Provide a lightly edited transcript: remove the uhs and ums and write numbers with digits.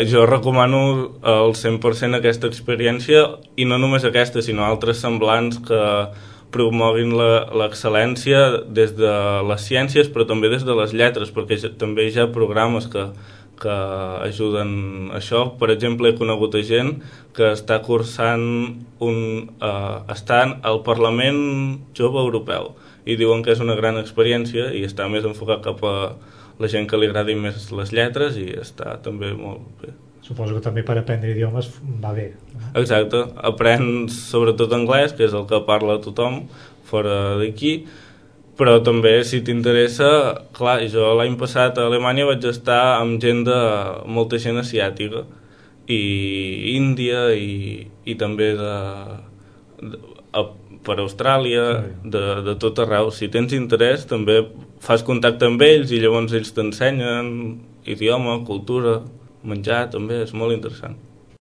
Jo recomano al 100% aquesta experiència, i no només aquesta, sinó altres semblants que promoguin l'excel·lència des de les ciències, però també des de les lletres, perquè també hi ha programes que ajuden a això. Per exemple, he conegut gent que està cursant estan al Parlament Jove Europeu, i diuen que és una gran experiència i està més enfocat cap a la gent que li agradin més les lletres, i està també molt bé. Suposo que també per aprendre idiomes va bé. Exacte, aprens sobretot anglès, que és el que parla tothom fora d'aquí, però també, si t'interessa, clar, jo l'any passat a Alemanya vaig estar amb molta gent asiàtica i Índia, i també per Austràlia, de tot arreu. Si tens interès, també fas contacte amb ells i llavors ells t'ensenyen idioma, cultura, menjar, també és molt interessant.